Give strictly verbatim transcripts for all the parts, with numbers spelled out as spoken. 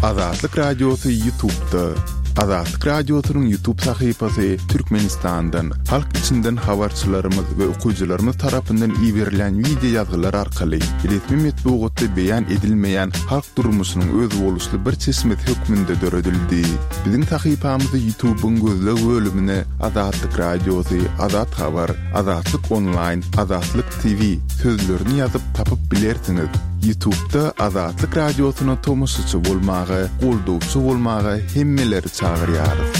Azatlyk Radiosy YouTube'da. Azatlyk Radiosynyň YouTube sahypasy Türkmenistandan, halk içinden habarçylarymyz we okyjylarymyz tarapyndan iberilen wideo ýazgylar arkaly resmi metbugatda beýan edilmeýän halk durmuşynyň özboluşly bir çeşmesi hökmünde döredildi. Biziň sahypamyzy YouTube'yň gözleg bölümine Azatlyk Radiosy, Azat Habar, Azatlyk Online, Azatlyk T V sözlerini ýazyp tapyp bilersiňiz. YouTube'da Azatlyk Radiosyna tomaşaçy bolmaga, goldawçy bolmaga hemmeleri çagyrýarys.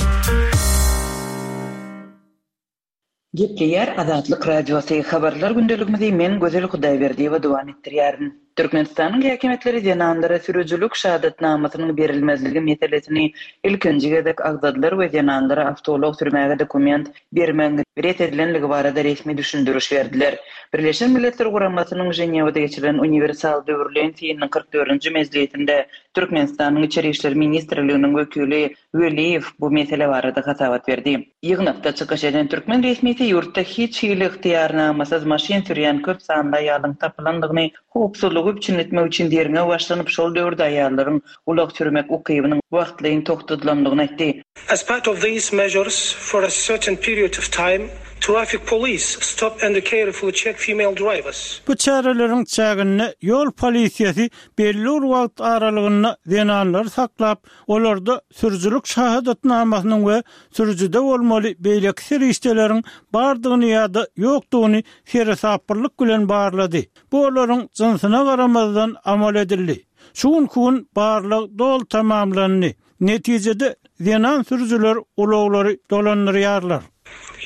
Gepleýär Azatlyk Radiosy habarlar gündeligimizi men Gözel Hudaýberdiýewa dowam etdirýärin. Türkmenistanyň häkimiýetleri zenanlara sürüjilik şahadatnamasynyň berilmezligi meselesini ilkinji gezek agzadylar we zenanlara awtoulag sürmäge dokument bermegiň ret edilenligi barada resmi düşündiriş berdiler. Birleşen Milletler Guramasynyň Ženewada geçirilen uniwersal döwürleýin synynyň kyrk dördünji mejlisinde Türkmenistanyň Içeri Işler Ministrliginiň wekili Weliýew bu mesele barada hasabat berdi. Ýygnakda çykyş eden türkmen resmisi ýurtda hiç hili ygtyýarnamasyz maşyn sürýän köp sanly aýalyň tapylandygyny, howpsuzlygy üpjün etmek üçin derňew başlanyp, şol döwürde aýallaryň ulag sürmek ukybynyň wagtlaýyn togtadylandygyny aýtdy. As part of these measures, for a certain period of time, traffic police stop and carefully check female drivers. Bu çäreleriň çäginde ýol polisiýasy belli bir wagt aralygynda zenanlary saklap, olarda sürüjilik şahadatnamasynyň we sürüjide bolmaly beýleki serişdeleriň bardygyny ýa-da ýokdugyny seresaplylyk bilen barlady. Bu olaryň jynsyna garamazdan amal edildi. Şu günki gün barlag doly tamamlandy. Netijede zenan sürüjiler ulaglary dolandyrýarlar.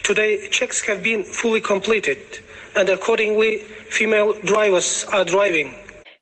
Today checks have been fully completed and accordingly female drivers are driving.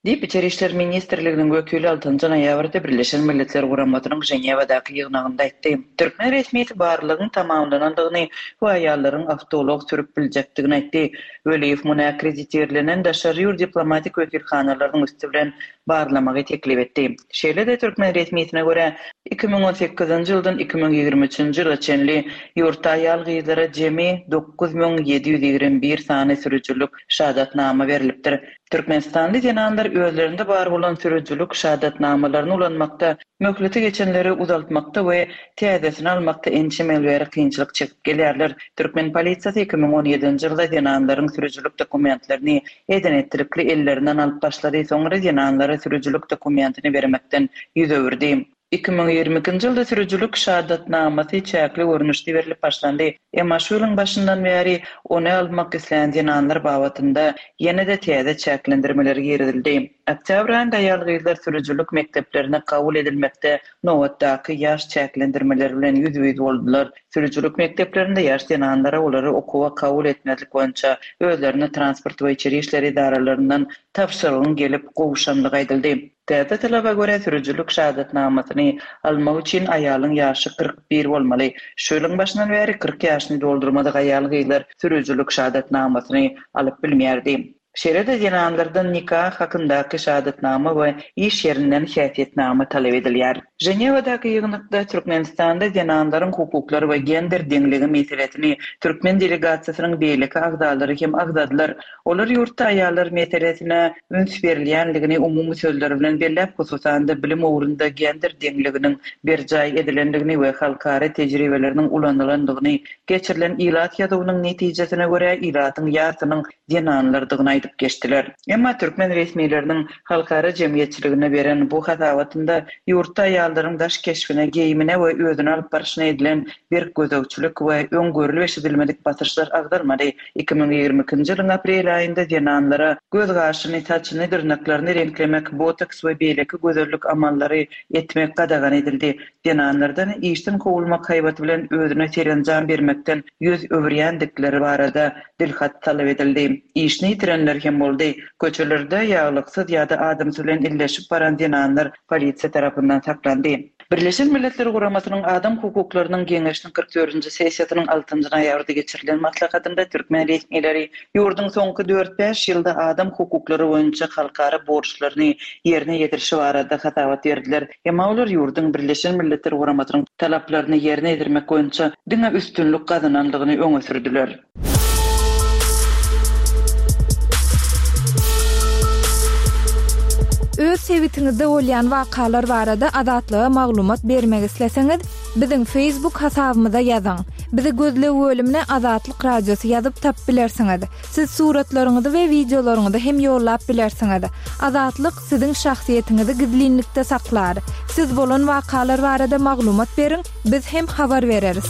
Diýip Içeri Işler Ministrliginiň wekili altynjy noýabrda Birleşen Milletler Guramasynyň Ženewadaky ýygnagynda aýtdy. Türkmen resmisi barlagyň tamamlanandygyny we aýallaryň awtoulag sürüp biljekdigini aýtdy. Weliýew muny akkreditirlenen daşary ýurt diplomatik wekilhanalarynyň üsti bilen barlamagy teklip etdi. Şeýle-de türkmen resmisine görä iki müň on sekizinji ýyldan iki müň ýigrimi üçünji ýyla çenli ýurtda aýal gyzlara jemi dokuz müň ýedi ýüz ýigrimi bir sany sürüjilik şahadatnama berilipdir. Türkmenistanly zenanlar özlerinde bar bolan sürüjilik şahadatnamalaryny ulanmakda, möhleti geçenleri uzaltmakda we täzesini almakda ençeme ýyl bäri kynçylyk çekip gelýärler. Türkmen polisiýasy iki müň on ýedinji ýylda zenanlaryň sürüjilik dokumentlerini eden-etdilikli ellerinden alyp başlady, soňra zenanlara sürüjilik dokumentini bermekden ýüz öwürdi. Iki müň ýigrimi ikinji ýylda sürüjilik şahadatnamasy çäkli görnüşde berilip başlandy. Emma şu ýylyň başyndan bäri ony almak islän zenanlar babatynda ýene-de täze çäklendirmeler girizildi. Oktýabr aýynda aýal gyzlar sürüjilik mekdeplerine kabul edilmekde nobatdaky ýaş çäklendirmeler bilen ýüz-ýüz boldular. Sürüjilik mekdeplerinde ýaş zenanlara olary okuwa kabul etmezlik boýunça özlerine transport we içeri işler edaralaryndan tabşyrygyň gelip gowşanlygy aýdyldy. Täze talaba görä sürüjilik şahadatnamasyny almak üçin aýalyň ýaşy kyrk bir bolmaly. Şu ýylyň başyndan bäri kyrk ýaşyny doldurmadyk aýal gyzlar sürüjilik şahadatnamasyny alyp bilmeýärdi. Şeýle-de zenanlardan nikah hakyndaky şahadatnama we iş ýerinden häsiýetnama talap edilýär. Ženewadaky ýygnakda Türkmenistanda zenanlaryň hukuklary we gender deňligi meselesini türkmen delegasiýasynyň beýleki agzalary hem agzadylar. Olar ýurtda aýallar meselesine üns berilýänligini umumy sözler bilen belläp, hususan-da bilim ugrunda gender deňliginiň berjaý edilendigini we halkara tejribeleriniň ulanylandygyny, geçirilen ilat ýazuwynyň netijesine görä ilatyň ýarsynyň zenanlardygyny aýdyp geçdiler. Emma türkmen resmileriniň halkara jemgyýetçiligine beren bu hasabatynda ýurtda aýallaryň daş keşbine, geýimine we özüni alyp baryşyna edilen berk gözegçilik we öň görülip eşidilmedik basyşlar agzalmady. Iki müň ýigrimi ikinji ýylyň aprel aýynda zenanlara göz gaşyny, saçyny, dyrnaklaryny reňklemek, botoks we beýleki gözellik amallary etmek gadagan edildi. Zenanlardan işden kowulmak haýbaty bilen özüne serenjam bermekden ýüz öwürýändikleri barada dilhat talap edildi. Işini ýitirenler hem boldy. Köçelerde ýaglyksyz ýa-da adamsy bilen illeşip baran zenanlar polisiýa tarapyndan saklandy. Birleşen Milletler Guramasynyň Adam hukuklarynyň geňeşiniň kyrk dördünji sessiýasynyň altynjy noýabrda geçirilen maslahatynda türkmen resmileri ýurduň soňky dört-bäş ýylda adam hukuklary boýunça halkara borçlaryny ýerine ýetirişi barada hasabat berdiler. Emma olar ýurduň Birleşen Milletler Guramasynyň talaplaryny ýerine ýetirmek boýunça diňe üstünlik gazanandygyny öňe sürdüler. Öz Öz sebitiňizde bolýan wakalar barada Azatlyga maglumat bermek isleseňiz, biziň Facebook hasabymyza ýazyň. Bizi gözleg bölümine Azatlyk Radiosy ýazyp tapyp bilersiňiz. Siz suratlaryňyzy we wideolaryňyzy hem ýollap bilersiňiz. Azatlyk siziň şahsyýetiňizi gizlinlikde saklar. Siz bolan wakalar barada maglumat beriň, biz hem habar bereris.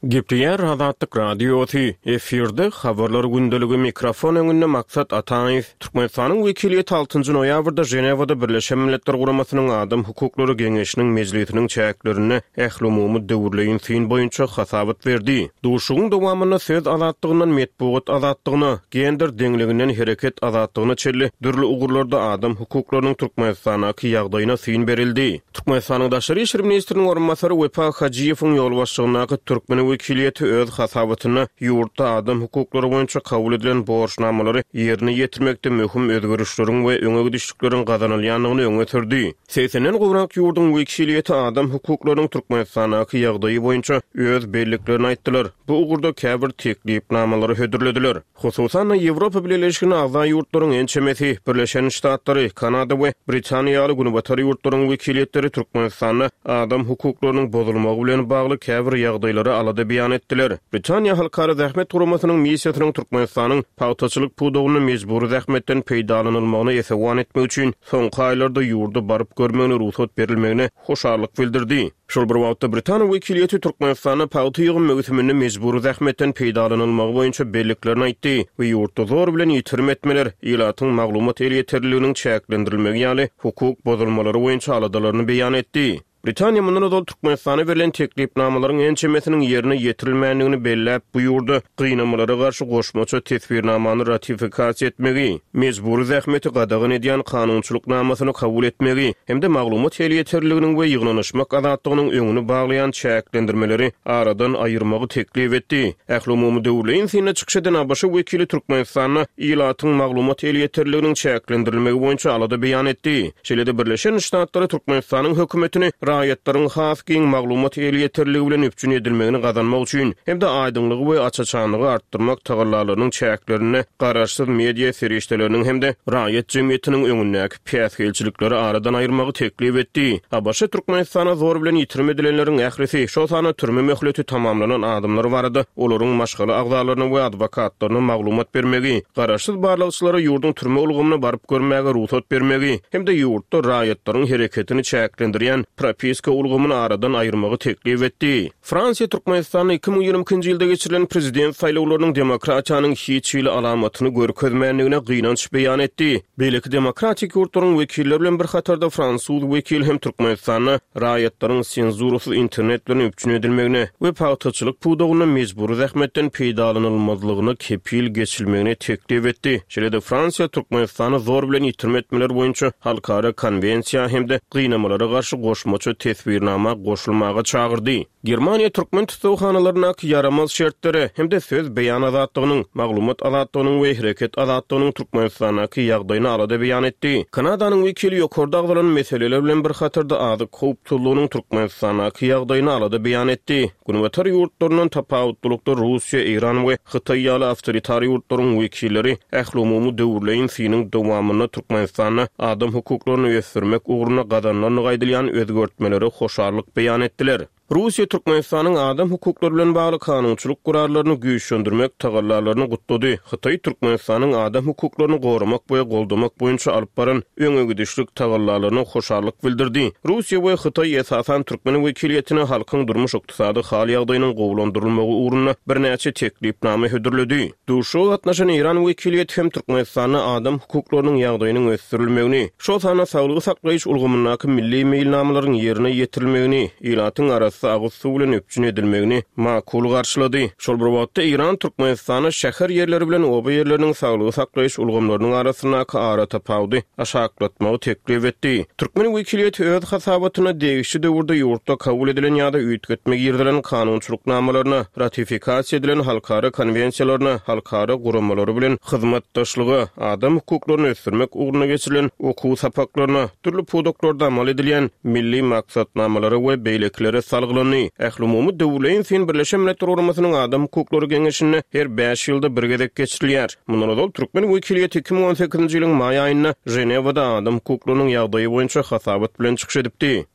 Gepleýär Azatlyk Radiosy, efirde habarlar gündeligi mikrofon öňünde Maksat Ataýew. Türkmenistanyň wekiliýeti altynjy noýabrda Ženewada Birleşen Milletler Guramasynyň Adam hukuklary geňeşiniň mejlisiniň çäklerinde ählumumy döwürleýin syn boýunça hasabat berdi. Duşugyň dowamynda söz azatlygyndan metbugat azatlygyna, gender deňliginden hereket azatlygyna çenli dürli ugurlarda adam hukuklarynyň Türkmenistandaky ýagdaýyna syn berildi. Türkmenistanyň Daşary işler ministriniň orunbasary Wepa Hajyýewiň ýolbaşçylygyndaky türkmen wekiliýeti öz hasabatynda ýurtda adam hukuklary boýunça kabul edilen borçnamalary ýerine ýetirmekde möhüm özgerişleriň we öňe gidişlikleriň gazanylýandygyny öňe sürdi. Segsenden gowrak ýurduň wekiliýeti adam hukuklarynyň Türkmenistandaky ýagdaýy boýunça öz belliklerini aýtdylar. Bu ugurda käbir teklipnamalary hödürlediler. Hususan-da Ýewropa Bileleşiginiň agza ýurtlaryň ençemesi, Birleşen Ştatlary, Kanada we Britaniýa ýaly günbatar ýurtlaryň wekiliýetleri Türkmenistanda adam hukuklarynyň bozulmagy bilen bagly käbir ýagdaýlary alada beýan etdiler. Britaniýa Halkara Zähmet Guramasynyň missiýasynyň Türkmenistanyň pagtaçylyk pudagynda mejbury zähmetden peýdalanylmagyna esewan etmek üçin soňky aýlarda ýurda baryp görmegine rugsat berilmegine hoşallyk bildirdi. Şol bir wagtda Britaniýa wekiliýeti Türkmenistanda pagta ýygym möwsüminde mejbury zähmetden peýdalanylmagy boýunça belliklerini aýtdy we ýurtda zor bilen ýitirim etmeler, ilatyň maglumat elýeterliliginiň çäklendirilmegi ýaly hukuk bozulmalary boýunça aladalaryny beýan etdi. Britaniýa mundan ozal Türkmenistana berlen teklipnamalaryň ençemesiniň ýerine ýetirilmändigini belläp, bu ýurda gynamalara garşy goşmaça teswirnamany ratifikasiýa etmegi, mejbury zähmeti gadagan edýän kanunçylyk namasyny kabul etmegi hem-de maglumat elýeterliliginiň we ýygnanyşmak azatlygynyň öňüni baglaýan çäklendirmeleri aradan aýyrmagy teklip etdi. Ählumumy döwürleýin synda çykyş eden A B Ş wekili Türkmenistanda ilatyň maglumat elýeterliliginiň çäklendirilmegi boýunça alada beýan etdi. Şeýle-de Birleşen Ştatlary Türkmenistanyň hökümetini raýatlaryň has giň maglumat elýeterligi bilen üpjün edilmegini gazanmak üçin hem-de aýdyňlygy we aç-açanlygy artdyrmak tagallalarynyň çäklerinde garaşsyz media serişdeleriniň hem-de raýat jemgyýetiniň öňündäki päsgelçilikleri aradan aýyrmagy teklip etdi. A B Ş Türkmenistana zor bilen ýitirim edilenleriň ählisi, şol sanda türme möhleti tamamlanan adamlar barada olaryň maşgala agzalaryna we adwokatlaryna maglumat bermegi, garaşsyz barlagçylara ýurduň türme ulgamyna baryp görmäge rugsat bermegi hem-de ýurtda raýatlaryň hereketini çäklendirýän propiska ulgamyny aradan aýyrmagy teklip etdi. Fransiýa Türkmenistanda iki müň ýigrimi ikinji ýylda geçirilen prezident saýlawlarynyň demokratiýanyň hiç hili alamatyny görkezmändigine gynanç beýan etdi. Beýleki demokratik ýurtlaryň wekilleri bilen bir hatarda fransuz wekili hem Türkmenistanda raýatlaryň senzurasyz internet bilen üpjün edilmegine we pagtaçylyk pudagynda mejbury zähmetden peýdalanylmazlygyna kepil geçilmegine teklip etdi. Şeýle-de Fransiýa Türkmenistany zor bilen ýitirim etmeler boýunça halkara konwensiýa hem-de gynamalara garşy goşmaça teswirnama goşulmaga çagyrdy. Germaniýa türkmen tussaghanalaryndaky ýaramaz şertlere hem-de söz beýan azatlygynyň, maglumat azatlygynyň we hereket azatlygynyň Türkmenistandaky ýagdaýyny alada beýan etdi. Kanadanyň wekili ýokarda agzalan meseleler bilen bir hatarda azyk howpsuzlygynyň Türkmenistandaky ýagdaýyny alada beýan etdi. Günbatar ýurtlaryndan tapawutlylykda Russiýa, Eýran we Hytaý ýaly awtoritar ýurtlaryň wekilleri ählumumy döwürleýin synyň dowamynda Türkmenistanda adam hukuklaryny ösdürmek ugrunda gazanylandygy aýdylýan özgertmelere hoşallyk beýan etdiler. Russiýa Türkmenistanyň adam hukuklary bilen bagly kanunçylyk gurarlaryny güýçlendirmek tagallalaryny gutlady. Hytaý Türkmenistanyň adam hukuklaryny goramak we goldamak boýunça alyp baran öňe gidişlik tagallalaryna hoşallyk bildirdi. Russiýa we Hytaý esasan türkmen wekiliýetine halkyň durmuş-ykdysady hal ýagdaýynyň gowulandyrylmagy ugrunda birnäçe teklipnama hödürledi. Duşuşyga gatnaşan Eýran wekiliýeti hem Türkmenistanda adam hukuklarynyň ýagdaýynyň ösdürilmegini, şol sanda saglygy saklaýyş ulgamyndaky milli meýilnamalaryň ýerine ýetirilmegini, ilatyň arassa agyz suw bilen üpjün edilmegini makul garşylady. Şol bir wagtda Eýran Türkmenistanda şäher ýerleri bilen oba ýerleriniň saglygy saklaýyş ulgamlarynyň arasyndaky ara tapawudy aşaklatmagy teklip etdi. Türkmen wekiliýeti öz hasabatyna degişli döwürde ýurtda kabul edilen ýa-da üýtgetme girizilen kanunçylyk namalaryna, ratifikasiýa edilen halkara konwensiýalaryna, halkara guramalary bilen hyzmatdaşlyga, adam hukuklaryny ösdürmek ugrunda geçirilen okuw sapaklaryna, dürli pudaklarda amal edilýän milli maksatnamalara we beýlekilere salgylandy. salgylandy. Ählumumy döwürleýin syn Birleşen Milletler Guramasynyň Adam hukuklary geňeşinde her bäş ýylda bir gezek geçirilýär. Mundan ozal türkmen wekiliýeti iki müň on sekizinji ýylyň maý aýynda Ženewada adam hukuklarynyň ýagdaýy boýunça hasabat bilen çykyş edipdi.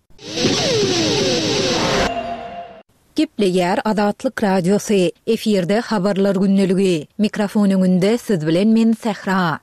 Gepleýär Azatlyk Radiosy, efirde Habarlar gündeligi. Mikrofon öňünde siz bilen men Sähra.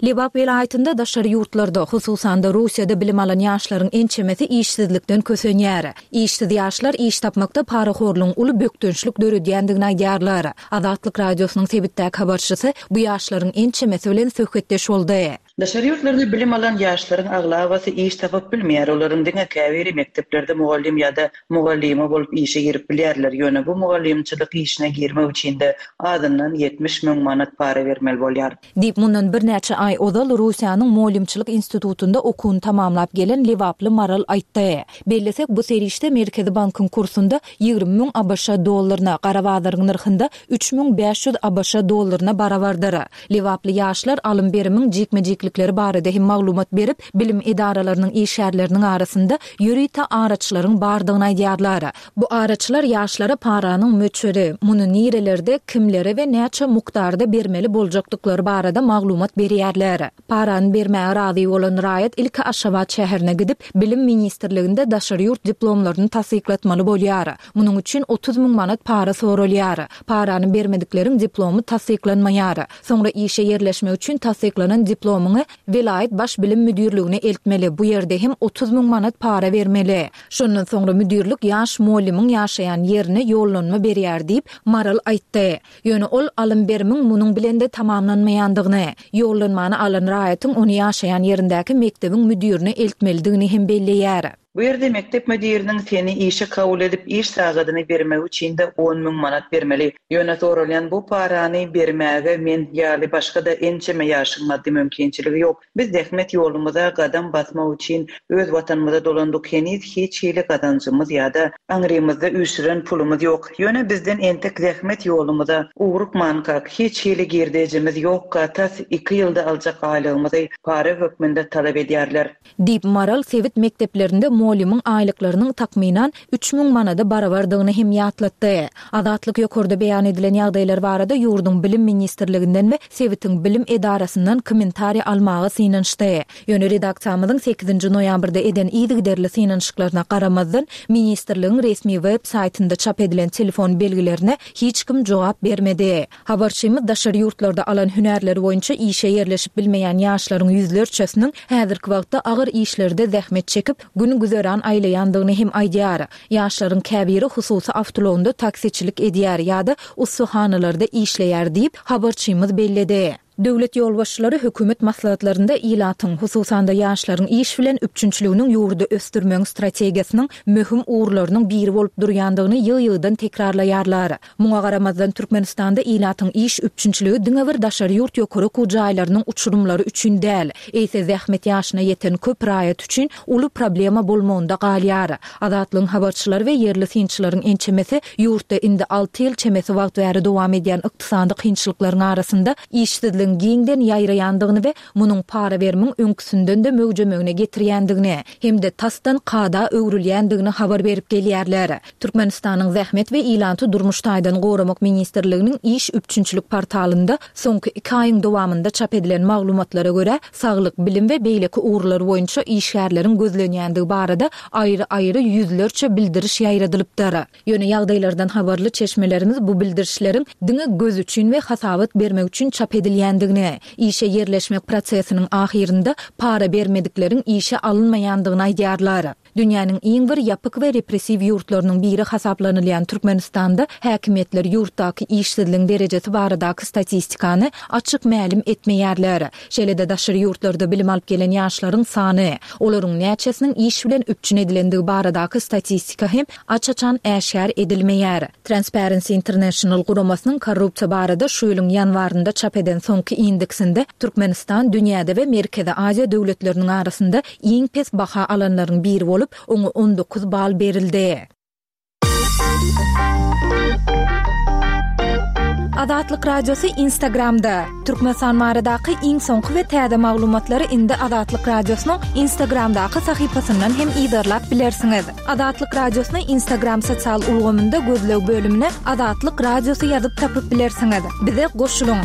Lebap welaýatynda daşary ýurtlarda, hususan-da Russiýada bilim alan ýaşlaryň ençemesi işsizlikden kösenýär. Işsiz ýaşlar iş tapmakda parahorlugyň uly bökdençlik döredýändigini aýdýarlar. Azatlyk Radiosynyň sebitdäki habarçysy bu ýaşlaryň ençemesi bilen söhbetdeş boldy. Daşary ýurtlarda bilim alan ýaşlaryň aglabasy iş tapyp bilmeýär. Olaryň diňe käbiri mekdeplerde mugallym ýa-da mugallyma bolup işe girip bilýärler. Ýöne bu mugallymçylyk işine girmek üçin-de azyndan ýetmiş müň manat para bermeli bolýar. Diýip, mundan birnäçe aý ozal Russiýanyň Mugallymçylyk institutynda okuwyny tamamlap gelen lebaply Maral aýtdy. Bellesek, bu serişde Merkezi bankyň kursunda ýigrimi müň ABŞ dollaryna, gara bazaryň nyrhynda üç müň bäş ýüz ABŞ dollaryna barabardyr. Lebaply ýaşlar alym-berimiň jikme-jiklikleri barada hem maglumat berip, bilim edaralarynyň işgärleriniň arasynda ýörite araçylaryň bardygyny aýdýarlar. Bu araçylar ýaşlara paranyň möçberi, muny nirelerde, kimlere we näçe mukdarda bermeli boljakdyklary barada maglumat berýärler. Parany bermäge razy bolan raýat ilki Aşgabat şäherine gidip, Bilim ministrliginde daşary ýurt diplomlaryny tassyklatmaly bolýar. Munuň üçin otuz müň manat para soralýar. Parany bermedikleriň diplomy tassyklanmaýar. Soňra işe ýerleşmek üçin tassyklanan diplomyňy welaýat baş bilim müdirligine eltmeli, bu ýerde hem otuz müň manat para bermeli. Şondan soňra müdirlik ýaş mugallymyň ýaşaýan ýerine ýollanma berýär diýip, Maral aýtdy. Ýöne ol alym-berimiň munuň bilen-de tamamlanmaýandygyny, ýollanmany alan raýatyň ony ýaşaýan ýerindäki mekdebiň müdirine eltmelidigini hem belleýär. Bu ýerde mekdep müdiriniň seni işe kabul edip iş sagadyny bermegi üçin-de on müň manat bermeli. Ýöne soralýan bu parany bermäge men ýaly başga-da ençeme ýaşyň maddy mümkinçiligi ýok. Biz zähmet ýolumyza gadam basmak üçin öz watanymyza dolandyk, heniz hiç hili gazanjymyz ýa-da aňrymyzda üýşüren pulumyz ýok. Ýöne bizden entek zähmet ýolumyza ugrukmankak, hiç hili girdejimiz ýokka, tas iki ýylda aljak aýlygymyzy para hökmünde talap edýärler. Diýip, Maral sebit mekdeplerinde mugallymyň aýlyklarynyň takmynan üç müň manada barabardygyny hem ýatlatdy. Azatlyk ýokarda beýan edilen ýagdaýlar barada ýurduň Bilim ministrliginden we sebitiň bilim edarasyndan kommentariý almaga synanyşdy. Ýöne redaksiýamyzyň sekizinji noýabrda eden yzygiderli synanyşyklaryna garamazdan, ministrligiň resmi web saýtynda çap edilen telefon belgilerine hiç kim jogap bermedi. Habarçymyz daşary ýurtlarda alan hünärleri boýunça işe ýerleşip bilmeýän ýaşlaryň ýüzlerçesiniň häzirki wagtda agyr işlerde zähmet çekip, gün güzeran aýlaýandygyny hem aýdýar. Ýaşlaryň käbiri hususy awtoulagynda taksiçilik edýär ýa-da ussahanalarda işleýär diýip, habarçymyz belledi. Döwlet ýolbaşçylary hökümet maslahatlarynda ilatyň, hususan-da ýaşlaryň iş bilen üpjünçiliginiň ýurdy ösdürmegiň strategiýasynyň möhüm ugurlarynyň biri bolup durýandygyny ýygy-ýygydan tekrarlaýarlar. Muňa garamazdan, Türkmenistanda ilatyň iş üpjünçiligi diňe bir daşary ýurt ýokary okuw jaýlarynyň uçurymlary üçin däl, eýse zähmet ýaşyna ýeten köp raýat üçin uly problema bolmagynda galýar. Azatlygyň habarçylary we ýerli synçylaryň ençemesi ýurtda indi alty ýyl çemesi wagt bäri dowam edýän ykdysady kynçylyklaryň arasynda işsizligiň giňden ýaýraýandygyny we munuň para berimiň öňküsinden-de möwjemegine getirýändigini hem-de tasdan kada öwrülýändigini habar berip gelýärler. Türkmenistanyň Zähmet we ilaty durmuş taýdan goramak ministrliginiň iş üpjünçilik portalynda soňky iki aýyň dowamynda çap edilen maglumatlara görä, saglyk, bilim we beýleki ugurlar boýunça işgärleriň gözlenýändigi barada aýry-aýry ýüzlerçe bildiriş ýaýradylypdyr. Ýöne ýagdaýlardan habarly çeşmelerimiz bu bildirişleriň diňe göz üçin we hasabat bermek üçin çap edilýändigini, işe ýerleşmek prosesiniň ahyrynda para bermedikleriň işe alynmaýandygyny aýdýarlar. Dünýäniň iň bir ýapyk we repressiw ýurtlarynyň biri hasaplanylýan Türkmenistanda häkimiýetler ýurtdaky işsizligiň derejesi baradaky statistikany açyk mälim etmeýärler. Şeýle-de daşary ýurtlarda bilim alyp gelen ýaşlaryň sany, olaryň näçesiniň iş bilen üpjün edilendigi baradaky statistika hem aç-açan äşgär edilmeýär. Transparency International guramasynyň korrupsiýa barada şu ýylyň ýanwarynda çap eden soňky indeksinde Türkmenistan dünýäde we Merkezi Aziýa döwletleriniň arasynda iň pes baha alanlaryň biri bolup, oňa on dokuz bal berildi. Azatlyk Radiosy Instagramda. Türkmenistan baradaky iň soňky we täze maglumatlary indi Azatlyk Radiosynyň Instagramdaky sahypasyndan hem yzarlap bilersiňiz. Azatlyk Radiosyny Instagram sosial ulgamynda gözleg bölümine Azatlyk Radiosy ýazyp tapyp bilersiňiz. Bize goşulyň.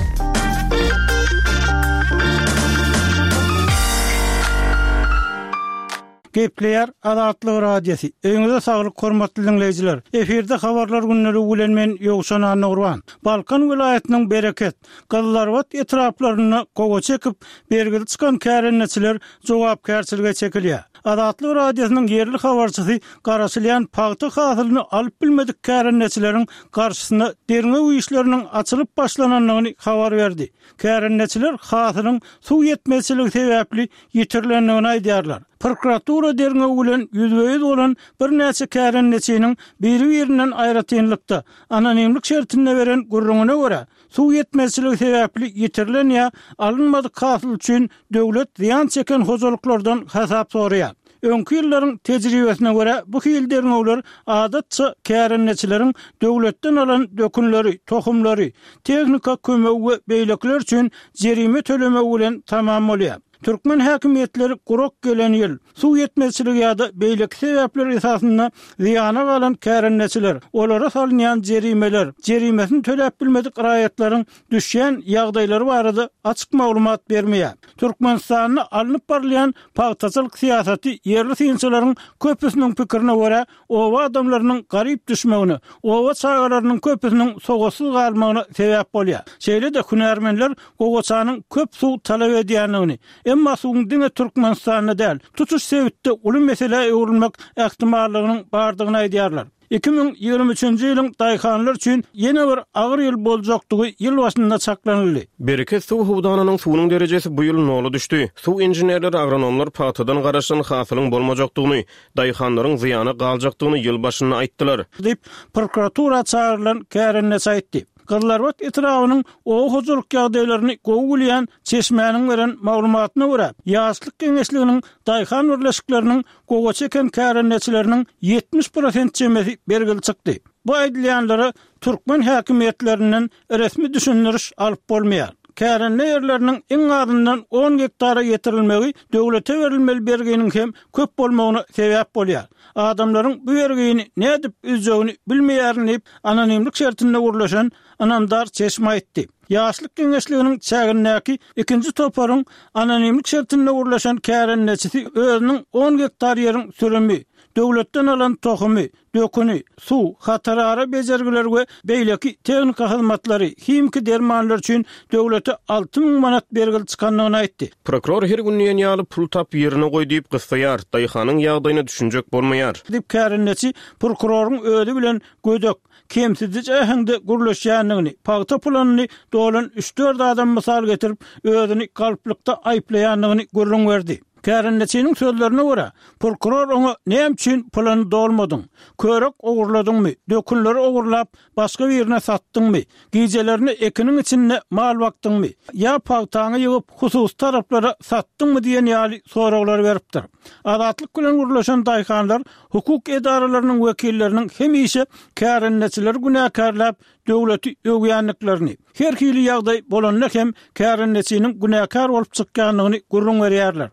Gepleýär Azatlyk Radiosy. Öýüňize saglyk hormatly diňleýjiler. Efirde habarlar gündeligi bilen men Ýowşan Annagurban. Balkan welaýatynyň Bereket, Gyzylarbat etraplarynda gowaça ekip, bergili çykan kärendeçiler jogapkärçilige çekilýär. Azatlyk Radiosynyň ýerli habarçysy garaşylýan pagta hasylyny alyp bilmedik kärendeçileriň garşysyna derňew işleriniň açylyp başlanandygyny habar berdi. Kärendeçiler hasylyň suw ýetmezçiligi sebäpli ýitirilendigini aýdýarlar. Prokuratura derňewi bilen ýüzbe-ýüz bolan birnäçe kärendeçiniň biri-birinden aýratynlykda, anonimlik şertinde beren gürrüňine görä, suw ýetmezçiligi sebäpli ýitirilen ýa alynmadyk hasyl üçin döwlet zyýan çeken hojalyklardan hasap soraýar. Öňki ýyllaryň tejribesine görä, bu hili derňewler adatça kärendeçileriň döwletden alan dökünleri, tohumlary, tehnika kömegi we beýlekiler üçin jerime tölemegi bilen tamam bolýar. Türkmen häkimiýetleri gurak gelen ýyl, suw ýetmezçiligi ýa-da beýleki sebäpler esasynda zyýana galan kärendeçiler, olara salynýan jerimeler, jerimesini töläp bilmedik raýatlaryň düşýän ýagdaýlary barada açyk maglumat bermeýär. Türkmenistanda alnyp barylýan pagtaçylyk syýasaty ýerli synçylaryň köpüsiniň pikirine görä, oba adamlarynyň garyp düşmegine, oba çagalarynyň köpüsiniň sowatsyz galmagyna sebäp bolýar. Şeýle-de hünärmenler gowaçanyň köp suw talap edýändigini, emma suwuň diňe Türkmenistanda däl, tutuş sebitde uly meselä öwrülmek ähtimallygynyň bardygyny aýdýarlar. Iki müň ýigrimi üçünji ýylyň daýhanlar üçin ýene bir agyr ýyl boljakdygy ýyl başynda çaklanyldy. Bereket suw howdanynyň suwunyň derejesi bu ýyl nola düşdi. Suw inženerleri, agronomlar pagtadan garaşan hasylyň bolmajakdygyny, daýhanlaryň zyýana galjakdygyny ýyl başynda aýtdylar. Diýip, prokuratura çagyrylan kärendeçi aýtdy. Gyzylarbat etrabynyň oba hojalyk ýagdaýlaryny gowy bilýän çeşmäniň beren maglumatyna görä, Ýaşlyk geňeşliginiň daýhan birleşikleriniň gowaça eken kärendeçileriniň ýetmiş prosent çemesi bergili çykdy. Bu aýdylýanlara türkmen häkimiýetlerinden resmi düşündiriş alyp bolmaýar. Kärende ýerleriniň iň azyndan on gektara ýetirilmegi döwlete berilmeli berginiň hem köp bolmagyna sebäp bolýar. Adamlaryň bu bergini nädip üzjegini bilmeýärin diýip, anonimlik şertinde gürleşen ynamdar çeşme aýtdy. Ýaşlyk geňeşliginiň çägindäki ikinji toparyň anonimlik şertinde gürleşen kärendeçisi özüniň on gektar ýeriň sürümi, döwletden alan tohumy, döküni, suw, hatarara bejergiler we beýleki tehnika hyzmatlary, himiki dermanlar üçin döwlete alty müň manat bergili çykandygyny aýtdy. Prokuror her gün diýen ýaly pul tap ýerine goý diýip gyssaýar, daýhanyň ýagdaýyna düşünjek bolmaýar. Diýip kärendeçi prokuroryň özi bilen gödek, kemsidiji äheňde gürleşýändigini, pagta pulanyny dolan üç-dört adam mysal getirip, özüni galplykda aýyplaýandygyny gürrüň berdi. Kärendeçiniň sözlerine görä, prokuror oňa näme üçin pulany dolmadyň, körek ogurladyňmy, dökünleri ogurlap başga birine satdyňmy, gijelerini ekiniň içinde mal bakdyňmy, ýa pagtaňy ýygyp hususy taraplara satdyňmy diýen ýaly soraglar beripdir. Azatlyk bilen gürleşen daýhanlar hukuk edaralarynyň wekilleriniň hemişe kärendeçileri günäkärläp döwleti öwýändiklerini, her hili ýagdaý bolanda hem kärendeçiniň günäkär bolup çykýandygyny gürrüň berýärler.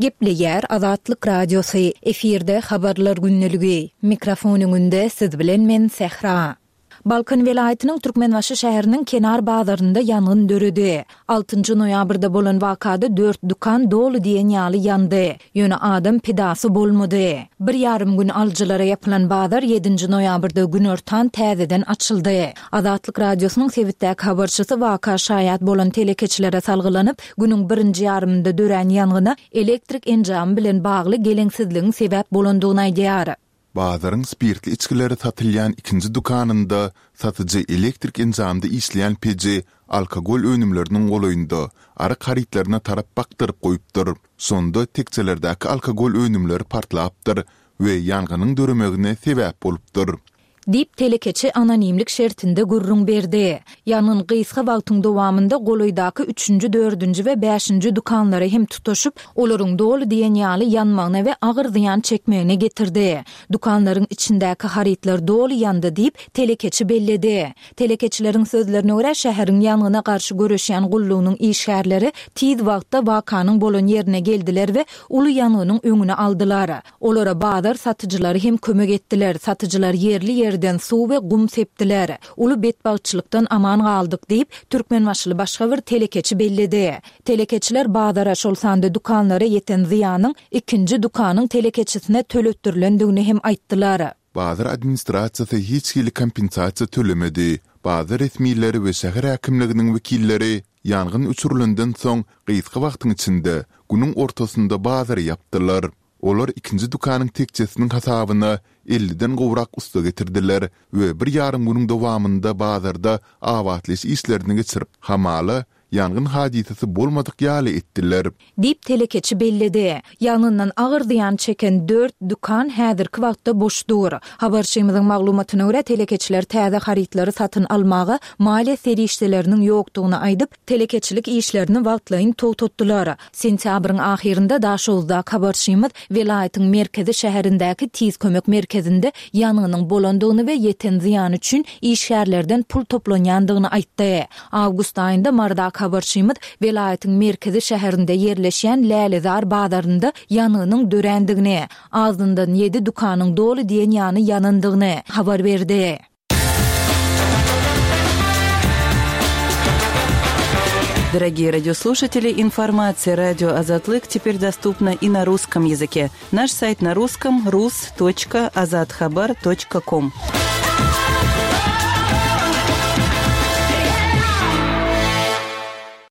Gepleýär Azatlyk Radiosy, efirde habarlar gündeligi. Mikrofon öňünde siz bilen men Sähra. Balkan welaýatynyň Türkmenbaşy şäheriniň kenar bazarynda ýangyn döredi. Altynjy noýabrda bolan wakada dört dükan doly diýen ýaly ýandy. Ýöne adam pidasy bolmady. Bir ýarym gün alyjylara ýapylan bazar ýedinji noýabrda günortan täzeden açyldy. Azatlyk Radiosynyň sebitdäki habarçysy waka şaýat bolan telekeçilere salgylanyp, günüň birinji ýarymynda dörän ýangyna elektrik enjamy bilen bagly geleňsizligiň sebäp bolandygyny aýdýar. Bazaryň spirtli içgileri satylýan ikinji dükanynda satyjy elektrik enjamda işleýän peji alkogol önümleriniň golaýynda arak harytlaryna tarap bakdyryp goýupdyr. Şonda tekjelerdäki alkogol önümleri partlapdyr we ýangynyň döremegine sebäp bolupdyr. Diýip, telekeçi anonimlik şertinde gürrüň berdi. Ýangyn gysga wagtyň dowamynda golaýdaky üçünji, dördünji we bäşinji dükanlara hem tutaşyp, olaryň doly diýen ýaly ýanmagyna we agyr zyýan çekmegine getirdi. Dükanlaryň içindäki harytlar doly ýandy diýip, telekeçi belledi. Telekeçileriň sözlerine görä, şäheriň ýangyna garşy göreşýän gullugynyň işgärleri tiz wagtda wakanyň bolan ýerine geldiler we uly ýangynyň öňüni aldylar. Olara bazar satyjylary hem kömek etdiler, satyjylar ýerli-ýerden suw we gum sepdiler. Uly betbagtçylykdan aman galdyk diýip, türkmenbaşyly başga bir telekeçi belledi. Telekeçiler bazara, şol sanda dükanlara ýeten zyýanyň ikinji dükanyň telekeçisine töletdirilendigini hem aýtdylar. Bazar administrasiýasy hiç hili kompensasiýa tölemedi. Bazar resmileri we şäher häkimliginiň wekilleri ýangyn öçürilenden soň gysga wagtyň içinde, günüň ortasynda bazary ýapdylar. Olar ikinji dükanyň tekjesiniň hasabyna elliden gowrak ussa getirdiler we bir ýarym günüň dowamynda bazarda abatlaýyş işlerini geçirip, hamala, ýangyn hadysasy bolmadyk ýaly etdiler. Diýip, telekeçi belledi. Ýangyndan agyr zyýan çeken dört dükan häzirki wagtda boş dur. Habarçymyzyň maglumatyna görä, telekeçiler täze harytlary satyn almaga maliýe serişdeleriniň ýokdugyny aýdyp, telekeçilik işlerini wagtlaýyn togtatdylar. Sentýabryň ahyrynda Daşoguzdaky habarçymyz welaýatyň merkezi şäherindäki Tiz kömek merkezinde ýangynyň bolandygyny we ýeten zyýan üçin işgärlerden pul toplanýandygyny aýtdy. Awgust aýynda Marydaky habarçymyz welaýatyň merkezi şäherinde ýerleşýän Lälezar bazarynda ýangynyň dörändigini, azyndan ýedi dükanyň doly diýen ýany ýanandygyny habar berdi. Дорогие радиослушатели, информация радио Азатлык теперь доступна и на русском языке. Наш сайт на русском rus.azathabar.com.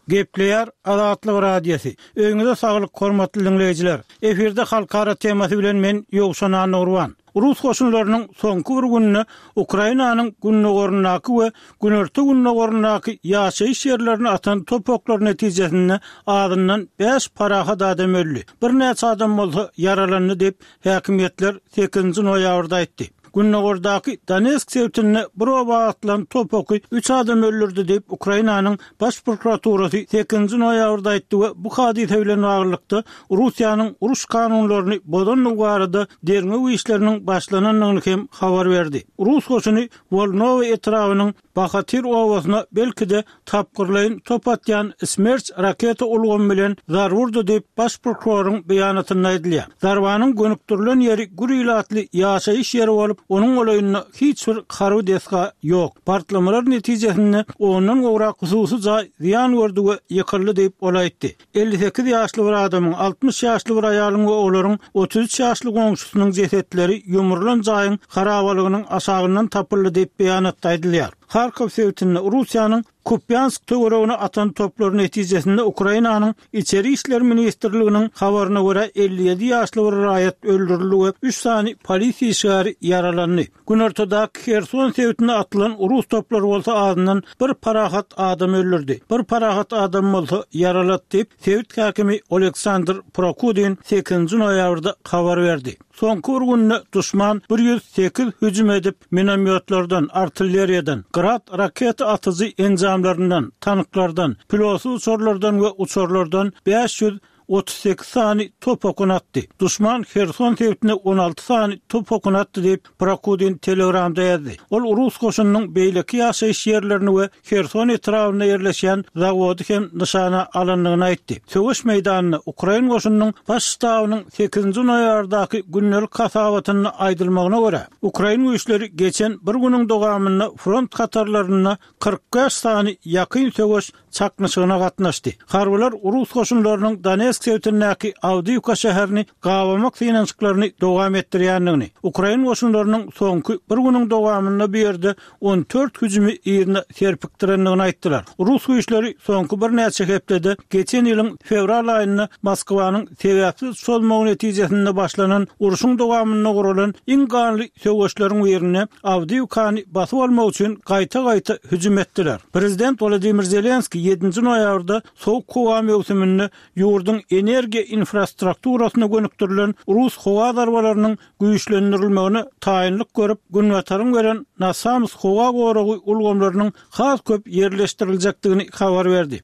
Gepleýär Azatlyk Radiosy. Öýüňize saglyk hormatly diňleýjiler. Efirde halkara temasy bilen men Ýowşan Annagurban. Rus goşunlarynyň soňky bir günde Ukrainanyň gündogaryndaky we günorta-gündogaryndaky ýaşaýyş ýerlerine atan top oklary netijesinde azyndan bäş parahat adam öldi. Birnäçe adam bolsa ýaralandy diýip, häkimiýetler sekizinji noýabrda aýtdy. Gündogardaky Donetsk sebitinde bir oba atylan top oky üç adamy öldürdi diýip, Ukrainanyň Baş prokuraturasy sekizinji noýabrda aýtdy we bu hadysa bilen baglylykda Russiýanyň uruş kanunlaryny bozandygy barada derňew işleriniň başlanandygyny hem habar berdi. Rus goşuny Wolnowa etrabynyň Bahatyr obasyna belki-de tapgyrlaýyn top atýan Smerç raketa ulgamy bilen zarba urdy diýip, baş prokuroryň beýanatynda aýdylýar. Zarbanyň gönükdirilen ýeri gür ilatly ýaşaýyş ýeri bolup, onuň golaýynda hiç bir harby desga ýok. Partlamalar netijesinde ondan gowrak hususy jaý zyýan gördi we ýykyldy diýip, ol aýtdy. Elli sekiz ýaşly bir adamyň, altmyş ýaşly bir aýalyň we olaryň otuz üç ýaşly goňşusynyň jesetleri ýumrulan jaýyň harabalygynyň aşagyndan tapyldy diýip, beýanatda aýdylýar. Harkow sebitinde Russiýanyň Kupýansk töweregine atan toplary netijesinde Ukrainanyň Içeri işler ministrliginiň habaryna görä, elli ýedi ýaşly bir raýat öldürildi we üç sany polisiýa işgäri ýaralandy. Günortadaky Herson sebitine atylan rus toplary bolsa azyndan bir parahat adamy öldürdi, bir parahat adamy bolsa ýaralady diýip, sebit häkimi Oleksandr Prokudin sekizinji noýabrda habar berdi. Soňky bir günde duşman bir ýüz sekiz hüjüm edip, minomýotlardan, artilleriýadan, Grad raketa atyjy enjamlaryndan, tanklardan, pilotsyz uçarlardan we uçarlardan bäş ýüz otuz sekiz sany top okuny atdy. Duşman Herson sebitine on alty sany top okuny atdy diýip, Prokudin Telegramda ýazdy. Ol rus goşunynyň beýleki ýaşaýyş ýerlerini we Herson etrabynda ýerleşýän zawody hem nyşana alandygyny aýtdy. Söweş meýdanynda ukrain goşunynyň Baş ştabynyň sekizinji noýabrdaky gündelik hasabatynda aýdylmagyna görä, ukrain güýçleri geçen bir günüň dowamynda front hatarlarynda kyrk bäş sany ýakyn söweş çaknyşygyna gatnaşdy. Harbylar rus goşunlarynyň Donetsk sebitindäki Awdiýiwka şäherini gabamak synanyşyklaryny dowam etdirýändigini, ukrain goşunlarynyň soňky bir günüň dowamynda bu ýerde on dört hüjümi yzyna serpikdirendigini aýtdylar. Rus güýçleri soňky birnäçe hepdede geçen ýylyň fewral aýynda Moskwanyň sebäpsiz çozmagy netijesinde başlanan urşuň dowamynda guralan iň ganly söweşleriň birinde Awdiýiwkany basyp almak üçin gaýta-gaýta hüjüm etdiler. Prezident Wolodymyr Zelenskiý ýedinji noýabrda sowuk howa möwsüminde ýurduň energiýa infrastrukturasyna gönükdirilen rus howa zarbalarynyň güýçlendirilmegine taýynlyk görüp, Günbataryň beren NASAMS howa goragy ulgamlarynyň has köp ýerleşdiriljekdigini habar berdi.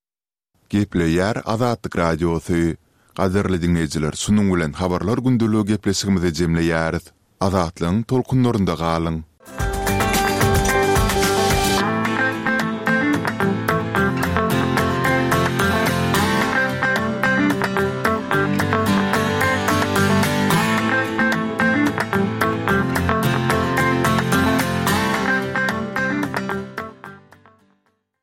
Gepleýär Azatlyk Radiosy. Gadyrly diňleýjiler, şunuň bilen Habarlar gündeligi gepleşigimizi jemleýäris. Azatlygyň tolkunlarynda galyň!